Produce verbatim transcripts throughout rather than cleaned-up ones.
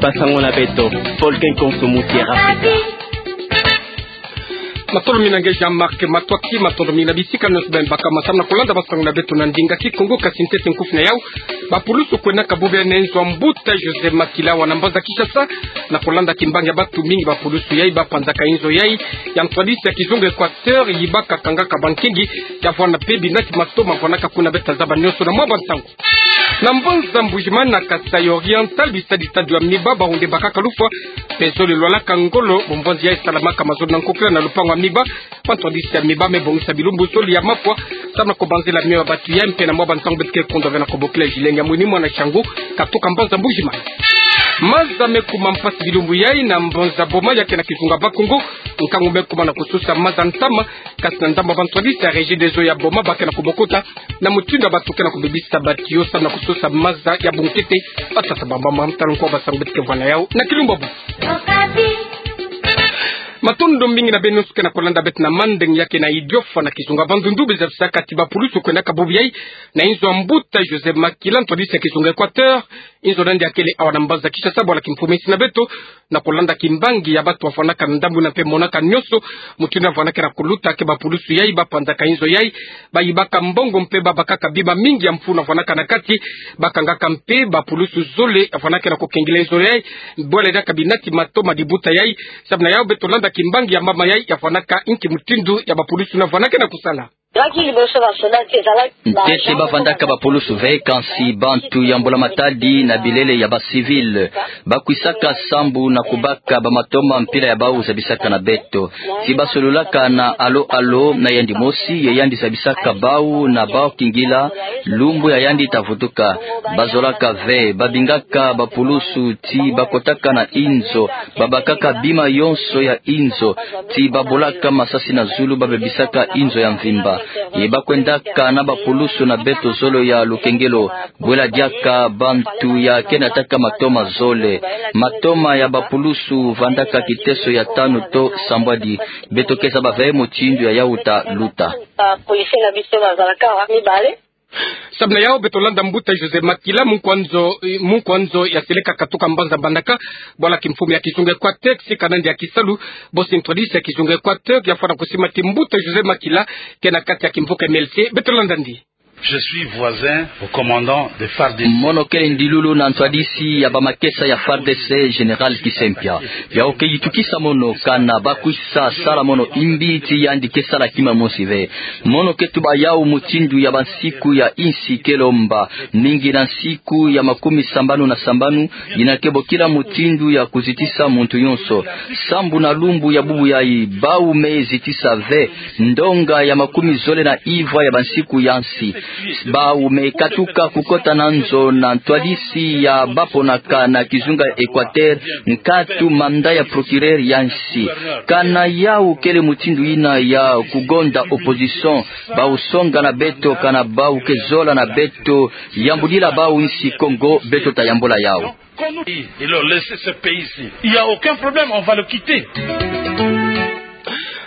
Basango na beto, Paul Kenkonso, Mutière Afrika. Matondo mingi na nge Jean-Marc Matsoua, matondo mingi na bisika nyonso beno baka ma samu na kolanda basango na beto na ndinga Kikongo. Kasi ntete nkufi na yau, bapulusu kwenda kabubi na inzo ya mbuta Joseph Makila awa na mbanza Kinshasa, na kolanda kimbangi ya bantu mingi bapulusu yai bapanzaka inzo yai ya ntwadisi ya kizunga Équateur, yibaka kangaka bankingi, ya vwanda mpe binati matoma vwandaka kuna. Beto tazaba nyonso na mwa bantangu. Na mbanza Mbuji-Mayi na Kasaï Oriental, bisadi tatu ya miba, bawu nde bakaka lufwa, mpe zole lwalaka ngolo, bomvwanzi yai salamaka mazono na nkokila na lupangu ya miba, ba ntwadisi ya miba me bongisa bilumbu zole ya mafwa, samu na kobanzila mio ya bantu yai. Mpe na mwa bantangu beto ke kondwa ve na kobokila Julien Nyamwini, mwana Shangu, katuka mbanza Mbuji-Mayi. Maza me kuma mpasi bilumbu yai na mbanza Boma, ya ke na kizunga Bas-Congo. Nkangu me kuma na kosusa maza ntama, kasi na ndambu ya ba ntwadisi ya Regideso ya Boma, ba ke na kobokota na mutindu ya bantu ke na kobebisa ba tuyau samu na kosusa maza ya bunkete. Batata, bamama, matalu, nkwa, basango, beto ke vwa na yau na kilumbu ya bubu. Matondo mingi na beno nyonso ke na kolanda beto na mandeng ya ke na Idiofa na kizunga Bandundu, be zabisaka ti bapulusu kwenda kabubi yai na inzo ya mbuta Joseph Makila, ntwadisi ya kizunga Équateur. Inzo na yandi ya kele awa na mbanza Kinshasa, bwala kimfumu, insi na beto, na kolanda kimbangi ya bantu bavwandaka na ndambu yina mpe monaka nyonso mutindu yina vwandaka na koluta, ke bapulusu yai bapanzaka inzo yai, bayibaka mbongo mpe babakaka bima mingi ya mfunu yina vwandaka na kati, bakangaka mpe bapulusu zole ya vwandaka na kokengila inzo yai, bwala diaka binati matoma dibuta yai. Samu na yau beto landa kimbangi ya mama yai ya vwandaka inki mutindu ya bapulusu yina vwandaka na kosala. Ntete bavwandaka bapulusu ve, kansi bantu ya mbula matadi na bilele ya ba civil. Bakwisaka sambu na kubaka bamatoma mpila ya bawu zabisaka na beto. Ti basololaka na alo-alo na yandi mosi, ye yandi zabisaka bawu na bawu kingila lumbu ya yandi ta vutuka. Bazolaka ve, babingaka bapulusu ti bakotaka na inzo, babakaka bima yonso ya inzo, ti babolaka masasi na zulu, babebisaka inzo ya mvimba. Ye bakwendaka na bapulusu na beto zole ya lukengelo, bwela diaka bantu ya ke nataka matoma zole. Matoma ya bapulusu vandaka kiteso ya tanu to sambwadi. Beto ke zaba ve mutindu ya yau ta luta. Samu na yau beto landa mbuta Joseph Makila, munkwa nzo, munkwa nzo ya seleka katuka mbanza Mbandaka, bwala kimfumu ya kizunga Équateur, si kana yandi ya kisalu, bosi ntwadisi ya kizunga Équateur, ya fwana kusima ti mbuta Joseph Makila ke na kati ya kimvuka M L C. Beto landa yandi. Je suis voisin au commandant de FARDC. Mono kele ndilulu na ntwadisi ya bamakesa ya FARDC, Général Kisempia. Yau ke yitukisa mono kana bakwi sa sala mono imbi ti yandi ke sala kima mosi ve. Mono ke tuba yau mutindu ya bansiku ya insi ke lomba, mingi na nsiku ya makumi sambanu na sambanu, yina ke bokila mutindu ya kuzitisa muntu yonso. Sambu na lumbu ya bubu yai, bawu me zitisa ve ndonga ya makumi zole na ivwa ya bansiku ya nsi. Bawu me katuka kukota na nzo na ntwadisi ya baponaka na kizunga Équateur, nkatu mandat ya procureur ya nsi. Kana yau kele mutindu yina ya kugonda opposition, bawu songa na beto, kana bawu ke zola na beto yambulila bawu nsi Kongo, beto ta yambula yau. Qu'on nous dit, il leur laisse ce pays-ci. Il y a aucun problème, on va le quitter.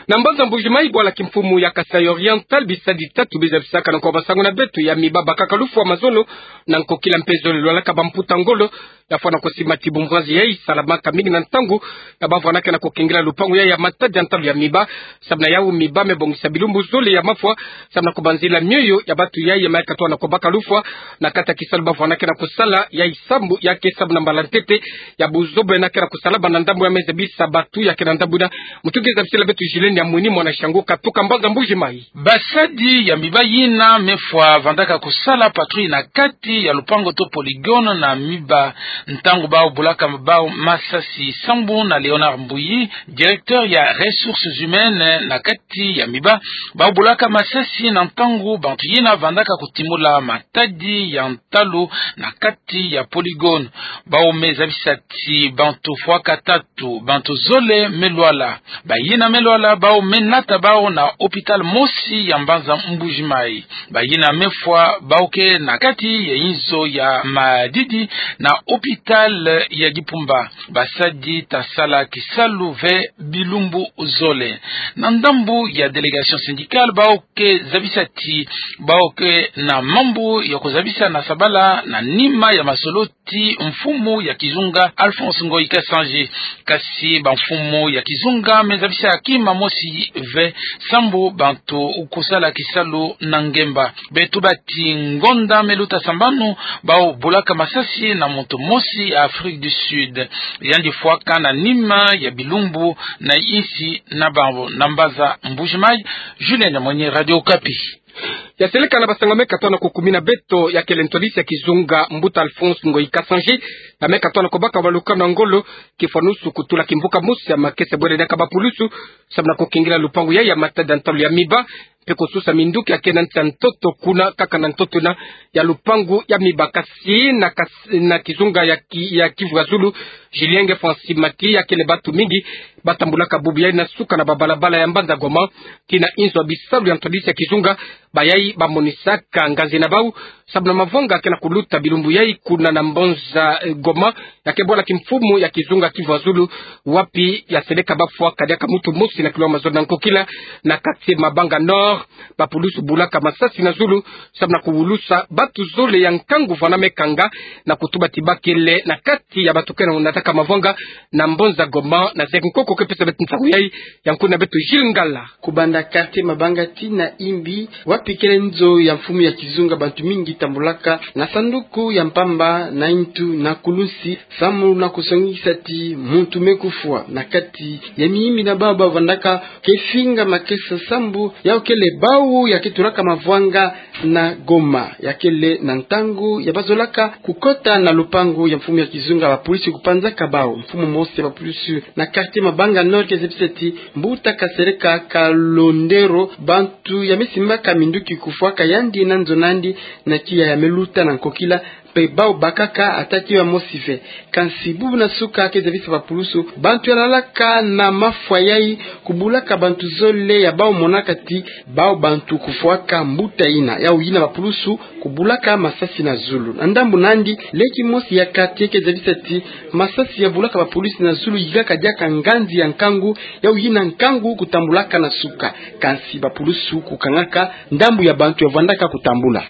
Na mbanza Mbuji-Mayi, bwala kimfumu ya Kasaï Oriental, bisadi tatu biza bisaka na nkwa basango na beto, ya miba bakaka lufwa mazono na nkokila, mpe zole lwalaka bamputa ngolo, ya fwana kusima ti bomvwanzi yai salamaka mingi na ntangu ya bavwanaka na kokengila lupangu yai ya matadi ya ntalu ya miba. Samu na yau miba me bongisa bilumbu zole ya mafwa, samu na kubanzila mioyo ya bantu yai ya mayaka twana kubaka lufwa na kati ya kisalu bavwanaka na kusala. Yai sambu ya ke sambu na mbala ntete ya buzoba yina ke na kusala banda ndambu yina me zabisa bantu ya ke na ndambu yina. Mutu ke zabisila beto Julien Nyamwini, mwana Shangu, katuka mbanza Mbuji-Mayi. Basadi ya miba yina me fwa vandaka kusala patrouille na kati ya lupangu to polygone na miba, ntangu bawu bulaka bawu masasi. Sambu na Léonard Mbuyi, directeur ya ressources humaines na kati ya miba, bawu bulaka masasi na ntangu bantu yina vandaka kutimula matadi ya ntalu na kati ya polygone. Bawu me zabisa ti bantu fwaka tatu, bantu zole me lwala. Bayina me lwala, Bau me nata bau na hôpital mosi ya mbanza Mbuji-Mayi. Bayina mefwa bau ke na kati ya inzo ya madidi na hôpital ya Dipumba. Basadi ta sala kisalu ve bilumbu zole. Na ndambu ya délégation syndicale, bau ke zabisa ti bau ke na mambu ya kozabisa na sabala na nima ya masolo ti mfumu ya kizunga Alphonse Ngoyi Kasanji. Kasi bamfumu ya kizunga me zabisa kima mosi ve, sambu bantu kusala kisalu na ngemba. Beto bati ngonda me luta sambanu, bau bulaka masasi na muntu mosi ya Afrique du Sud. Yandi fwaka na nima ya bilumbu na insi na bau na mbanza Mbuji-Mayi. Julien Nyamwenyi, Radio Okapi. Ya seleka na basango me katona kukumina beto, ya kele ntwadisi ya kizunga mbuta Alphonse Ngoyi Kasanji, ya me katona kubaka balukano ya ngolo, kifwanusu kutula kimvuka mosi ya makesa bwele diaka bapulusu, samu na kukingila lupangu ya, ya matadi ya ntalu ya Miba, mpe kususa minduki ya ke na nsi ya ntoto kuna kaka na ntoto na ya lupangu ya Miba. Kasi na kas-, na kizunga ya ki-, ya Kivu ya Zulu, Julien Nge Francis Maki, ya kele bantu mingi batambulaka bubu yayi na suka na babalabala ya mbanza Goma, kina inzo ya bisalu ya ntwadisi ya kizunga, bayayi bamonisaka nganzi na bau, samu na mavanga ke na kuluta bilumbu yayi kuna na mbanza, eh, Goma, ya ke bwala kimfumu ya kizunga Kivu ya Zulu, wapi ya seleka bafwaka diaka muntu mosi na kilomètre mazono na nkokila, na kati Mabanga Nord, bapulusu bulaka masasi na zulu, samu na kuwulusa bantu zole ya nkangu vwanda me kanga, na kutuba ti ba kele na kati ya bantu ke na nataka mavanga na mbanza Goma, na zeke nkoko ke pesa beto nsangu yayi, ya nkuna beto Gilles Ngala. Kubanda quartier Mabanga tii na Imbi, wapi kele nzo ya mfumu ya kizunga, bantu mingi tambulaka na sanduku ya mpamba, na intu, na kulunsi, samu na kusongisa ti muntu me kufwa. Na kati ya miyimbi na bau bavwandaka ke finga makesa sambu yau kele bau ya ke tulaka mavanga na Goma, ya kele na ntangu ya bazolaka kukota na lupangu ya mfumu ya kizunga, bapulusu kupanzaka bau. Mfumu mosi ya bapulusu na quartier Mabanga Nord ke zabisa ti mbuta Kasereka Kalondero, bantu ya me simbaka minduki kufwaka yandi na nzo nandi, na kiya ya me luta na nkokila, mpe bau bakaka ata ti ya mosi ve. Kansi bubu na suka ke zabisa bapulusu, bantu ya lalaka na mafwa yayi kubulaka bantu zole ya bau monaka ti bau bantu kufwaka mbuta yina. Yau yina bapulusu kubulaka masasi na zulu. Na ndambu nandi, leki mosi ya quartier ke zabisa ti masasi ya bulaka bapulusu na zulu yikaka diaka nganzi ya nkangu, yau yina nkangu kutambulaka na suka. Kansi bapulusu kukangaka ndambu ya bantu ya vwandaka kutambula.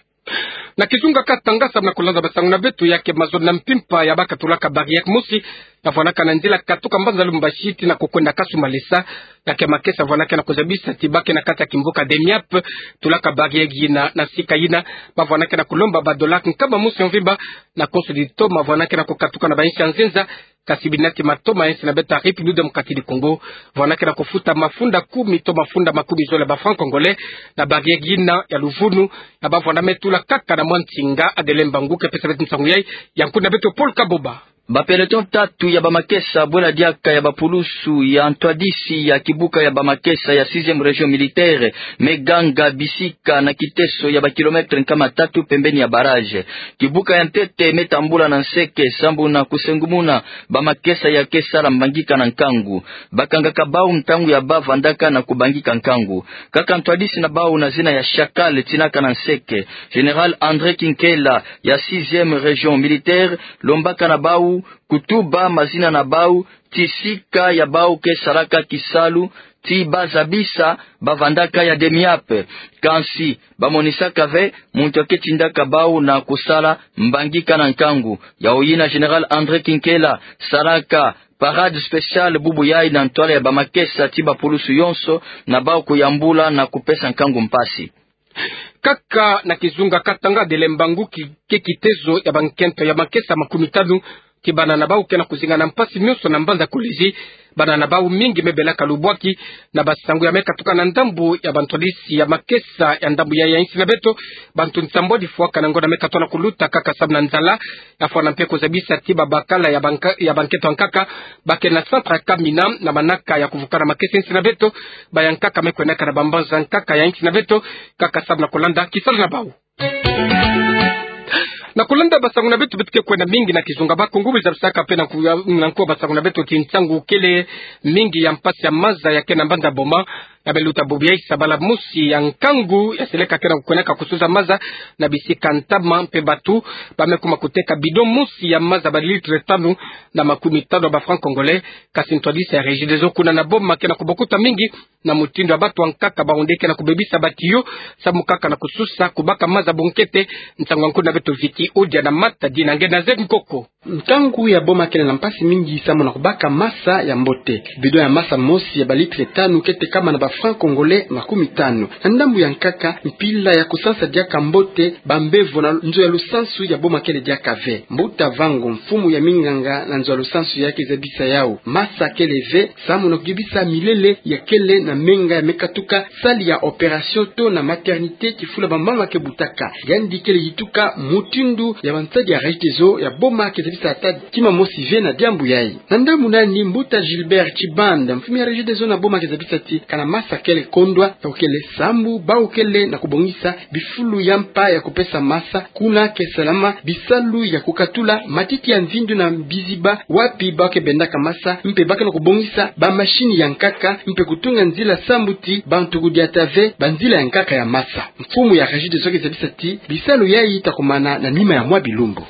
Na kizunga Katanga, samu na kulanda basangu na beto, ya ke mazono na mpimpa ya ba katulaka barrière mosi ya vwanaka na nzila katuka mbanza Lubumbashi tii na kukwenda Kasumbalesa, ya ke makesa vwanaka na kuzabisa ti ba ke na kati ya kimvuka Demiap, tulaka barrière yina. Na sika yina, bavwanaka na kulomba ba dollar nkama mosi ya mvimba na konso ditoma vwanaka na kukatuka na bainsi ya nzenza, kasi binati matoma ya insi na beto ya République Démocratique du Congo, vwanaka na kufuta mafunda kumi to mafunda makumi zole ba francs congolais na barrière yina ya luvunu, ya bavwanda me tula kaka na mwa nsinga. Adelin Mbangu ke pesa beto nsangu yayi, ya nkuna beto Paul Kaboba. Ba peloton tatu ya bamakesa bwela diaka ya bapulusu ya ntwadisi ya kibuka ya bamakesa ya sixième région militaire me ganga bisika na kiteso ya ba kilomètre nkama tatu pembeni ya barrage. Kibuka ya ntete me tambula na nseke sambu na kusengumuna bamakesa ya ke sala mbangika na nkangu. Bakangaka bau ntangu ya ba vandaka na kubangika nkangu. Kaka ntwadisi na bau na zina ya Chacal tinaka na nseke, Général André Kinkela ya sixième région militaire, lombaka na bau kutuba mazina na bau, ti sika ya bau ke salaka kisalu, ti ba zabisa ba vandaka ya Demiap. Kansi ba monisaka ve muntu ya ke tindaka bau na kusala mbangika na nkangu. Yau yina Général André Kinkela salaka parade spéciale bubu yayi na ntwala ya bamakesa ti bapulusu yonso, na bau kuyambula na kupesa nkangu mpasi. Kaka na kizunga Katanga, Adelin Mbangu, ki-, ke kitezo ya bankento ya makesa makumi tanu, ti bana na bau ke na kuzinga na mpasi nyonso na mbanza Kolwezi. Bana na bau mingi me belaka lubwaki. Na basangu ya me katuka na ndambu ya bantwadisi ya makesa ya ndambu ya, ya insi na beto, bantu nsambwadi fwaka na ngonda me katona kuluta kaka samu na nzala, ya fwana mpe kuzabisa ti babakala ya banka-, ya bankento ya nkaka ba ke na centre ya Kamina na manaka ya kuvukana makesa ya insi na beto, ba ya nkaka me kwendaka na bambanza ya nkaka ya insi na beto, kaka samu na kulanda kisalu na bau. Na kulanda basango na beto, beto ke kwenda mingi na kizunga Bakongo, beza bisaka mpe na nku-, na nkuwa basango na beto ti nsangu kele mingi ya mpasi ya maza ya ke na mbanza Boma. Na beluta bubu yayi, sabala mosi ya nkangu ya seleka ke na kukwendaka kusuza maza na bisika ntama, mpe batu ba me kuma kuteka bidon mosi ya maza ba litre tanu na makumi tanu ya ba francs congolais. Kasi ntwadisi ya Regideso kuna na Boma ke na kubokuta mingi na mutindu ya batu ya nkaka, bawu nde ke na kubebisa ba tuyau samu kaka na kususa kubaka maza bunkete. Nsangu ya nkundi na beto Vicky Odia na Matadi na nge na Zed Nkoko. Nkangu ya Boma kele na mpasi mingi samu na kubaka maza ya mbote. Bidon ya maza mosi ya ba litre tanu ke tekama na ba francs congolais makumi tanu. Na ndambu ya nkaka, mpila ya kusansa diaka mbote bambevo na nzo ya lusansu ya Boma kele diaka ve. Mbuta Vango, mfumu ya minganga na nzo ya lusansu, ya ke zabisa yawu maza kele ve samu na kuyebisa milele ya kele na menga ya me katuka salle ya opération to na maternité, kifulu ya bamama ke butaka. Yandi kele yituka mutindu ya bansadi ya Regideso ya Boma ke zabisa ata kima mosi ve na diambu yayi. Na ndambu nani, mbuta Gilbert Tshibanda, mfumu ya Regideso na Boma, ke zabisa ti kana maza kele kondwa, ya kele sambu bawu kele na kubongisa bifulu ya mpa ya kupesa maza, kuna ke salama bisalu ya kukatula matiti ya nzindu na biziba wapi ba ke bendaka maza, mpe ba ke na kubongisa ba machine ya nkaka, mpe kutunga nzila sambu ti bantu kudiata ve ba nzila ya nkaka ya maza. Mfumu ya Regideso ke zabisa ti bisalu yayi ta kumana na nima ya mwa bilumbu.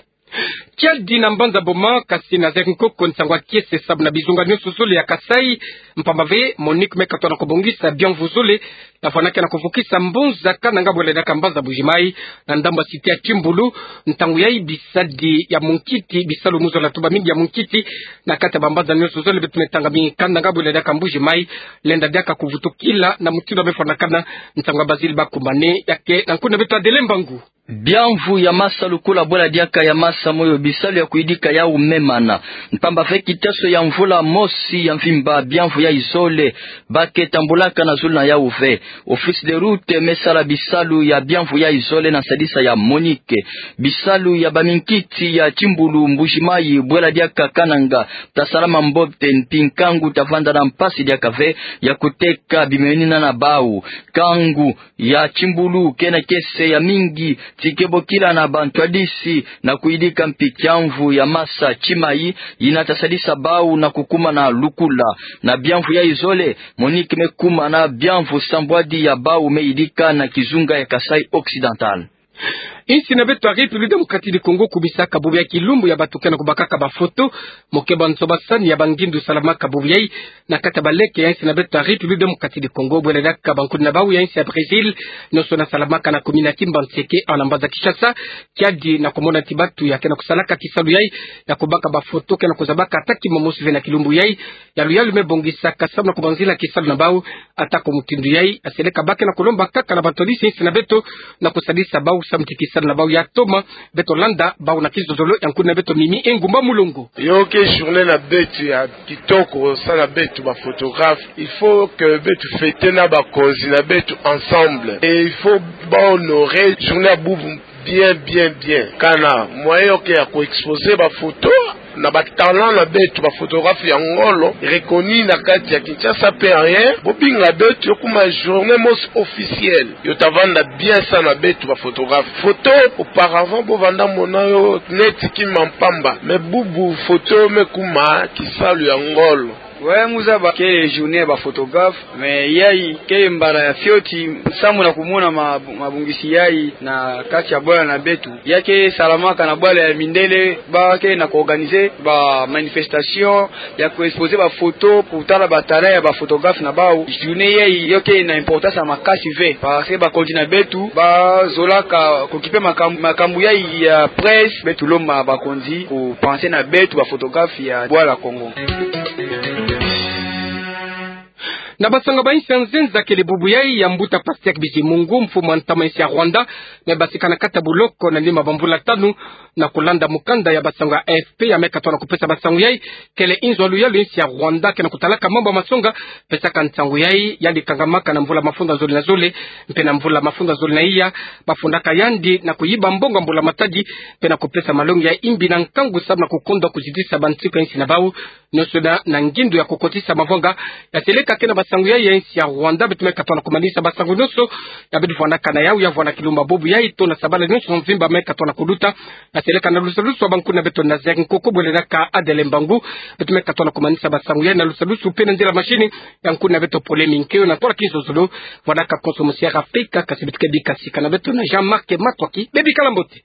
Kiadi na mbanza Boma, kasi na Zed Nkoko, nsangu ya kiese samu na bizunga nionso zole ya Kasaï, mpamba ve Monique me katoa na kubongisa biamvu zole na vwanda ke na kuvukisa mbonza Kananga, bwela diaka mbanza Mbuji-Mayi, na ndambu ya cité ya Kimbulu. Ntangu yayi bisadi ya munkiti, bisalu mu zola tuba mingi ya munkiti na kati ya bambanza nionso zole, beto me tanga mingi Kananga, bwela diaka Mbuji-Mayi, lenda diaka kuvutukila na mutindu ya me fwanakana. Nsangu ya Bazile Bakumane ya ke na nkundi na beto Adelin Mbangu. Biamvu ya maza lukula bwela diaka ya maza moyo, bisalu ya kuyidika yawu me mana. Mpamba ve kiteso ya mvula mosi ya mvimba, biamvu yayi zole ba ke tambulaka na zulu na yawu ve. Office de route me sala bisalu ya biamvu yayi zole na nsadisa ya Monique. Bisalu ya baminkiti ya Kimbulu, Mbuji-Mayi, bwela diaka Kananga, ta salama mbote, mpi nkangu ta vwanda na mpasi diaka ve ya kuteka bimenina na bawu. Nkangu ya Kimbulu ke na kiese ya mingi, ti ke bokila na bantwadisi na kuyidika mpi kiamvu ya maza Kimayi, yina ta sadisa bawu na kukuma na lukula. Na biamvu yayi zole, Monique me kuma na biamvu sambwadi ya bawu me yidika na kizunga ya Kasaï Occidental. Insi na beto ya République Démocratique du Congo kumisaka bubu yayi kilumbu ya bato ke na kubakaka bafoto, mu keba nsobasani ya bangindu salamaka bubu yayi na kati ya baleke ya insi na beto ya République Démocratique du Congo, bwela diaka bankundi na bawu ya insi ya Brésil, nionso na salamaka na commune ya Kimbanseke, awa na mbanza Kinshasa, kiadi na kumona ti bato ya ke na kusalaka kisalu yayi ya kubaka bafoto ke na kuzabaka ata kima mosi ve na kilumbu yayi. Yalu yalu me bongisaka samu na kubanzila kisalu na bawu, atako mutindu yayi ya seleka ba ke na kulomba kaka na bantwadisi ya insi na beto na kusadisa bawu samu ti kisalu na bawu ya toma. Beto landa bawu na kizozolo ya nkundi na beto Mimi Engumba Mulongo. Yo ke journée na beto ya kitoko, samu na beto ba photographe. Il faut que beto fêter na bakonzi na beto ensemble. Et il faut ba honorer journée ya bubu bien, bien, bien. Kana moyen yo ke ya ku exposer bafoto na ba talent na beto, ba photographe ya ngolo, reconnu na kati ya Kinshasa mpe ailleurs. Bo binga beto yo kuma journée mosi officielle. Yo ta vanda bien samu na beto ba photographe. Photo, auparavant, bo vanda mona yo neti kima mpamba. Mais bubu, photo me kuma kisalu ya ngolo. Ouais, mu zaba kele journée ya ba photographe, mais yayi kele mbala ya fioti, samu na kumona ma-, mabongisi yayi na kati ya bwala na beto. Ya ke salamaka na bwala ya mindele, ba ke na ku organiser ba manifestation, ya ku exposer ba photo, pour tala ba talent ya ba photographe na bawu. Journée yayi yo ke na importance ya makasi ve, parce que bakonzi na beto ba zolaka ku occuper makam-, makambu yayi ya presse. Beto lomba bakonzi ku penser na beto ba photographe ya bwala Kongo. Na basango ba insi ya nzenza, kele bubu yayi ya mbuta Pasteur Bizimungu, mfumu a ntama insi ya Rwanda, me basika na kati ya buloko na nima ba mvula tanu. Na kulanda mukanda ya basango ya A F P ya me katoa na kupesa basango yayi, kele inzo ya luyalu ya insi ya Rwanda ke na kutalaka mambu ya masonga pesaka nsangu yayi, yandi kangamaka na mvula mafunda zole na zole, mpe na mvula mafunda zole na iya, bafundaka yandi na kuyiba mbongo ya mbula matadi, mpe na kupesa malongi ya imbi na nkangu samu na kukondwa kuzitisa bansiku ya insi na bawu, nionso na, na ngindu ya kukotisa mavanga ya seleka ke na ba sangu ya, ya insi ya Rwanda. Beto me katoa na kumanisa basangu nyonso ya beto vwanaka na yawu, ya vwana kilumba bobo ya ito na sabala nyonso mvimba me katoa na kuluta na seleka na lusalusu wa bankuna beto na Zaïre. Nkoko bwelelaka Adèle Mbangu. Beto me katoa na kumanisa basangu ya na lusalusu pe na nzila machine ya nkuna beto Pole Minkeo. Na tola kinzonzolo, vwanaka konso musiara peka, kasi beto ke bika sika na beto na Jean-Marc Matuaki. Bebikala mbote.